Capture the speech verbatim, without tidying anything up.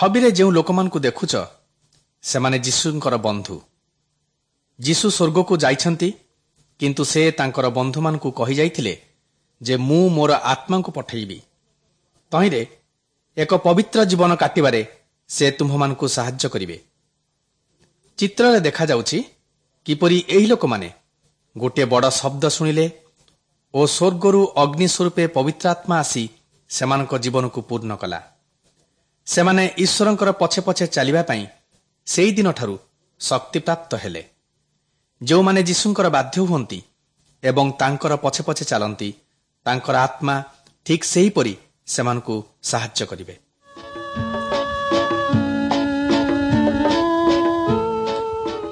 ଛବିରେ ଯେଉଁ ଲୋକମାନଙ୍କୁ ଦେଖୁଛ, ସେମାନେ ଯୀଶୁଙ୍କର ବନ୍ଧୁ। ଯୀଶୁ ସ୍ୱର୍ଗକୁ ଯାଇଛନ୍ତି, କିନ୍ତୁ ସେ ତାଙ୍କର ବନ୍ଧୁମାନଙ୍କୁ କହିଯାଇଥିଲେ ଯେ ମୁଁ ମୋର ଆତ୍ମାଙ୍କୁ ପଠେଇବି। ତହିଁରେ ଏକ ପବିତ୍ର ଜୀବନ କାଟିବାରେ ସେ ତୁମ୍ଭମାନଙ୍କୁ ସାହାଯ୍ୟ କରିବେ। ଚିତ୍ରରେ ଦେଖାଯାଉଛି କିପରି ଏହି ଲୋକମାନେ ଗୋଟିଏ ବଡ଼ ଶବ୍ଦ ଶୁଣିଲେ ଓ ସ୍ୱର୍ଗରୁ ଅଗ୍ନି ସ୍ୱରୂପେ ପବିତ୍ର ଆତ୍ମା ଆସି ସେମାନଙ୍କ ଜୀବନକୁ ପୂର୍ଣ୍ଣ କଲା। ସେମାନେ ଈଶ୍ୱରଙ୍କର ପଛେ ପଛେ ଚାଲିବା ପାଇଁ ସେହିଦିନଠାରୁ ଶକ୍ତିପ୍ରାପ୍ତ ହେଲେ। ଯେଉଁମାନେ ଯୀଶୁଙ୍କର ବାଧ୍ୟ ହୁଅନ୍ତି ଏବଂ ତାଙ୍କର ପଛେ ପଛେ ଚାଲନ୍ତି, ତାଙ୍କର ଆତ୍ମା ଠିକ୍ ସେହିପରି ସେମାନଙ୍କୁ ସାହାଯ୍ୟ କରିବେ।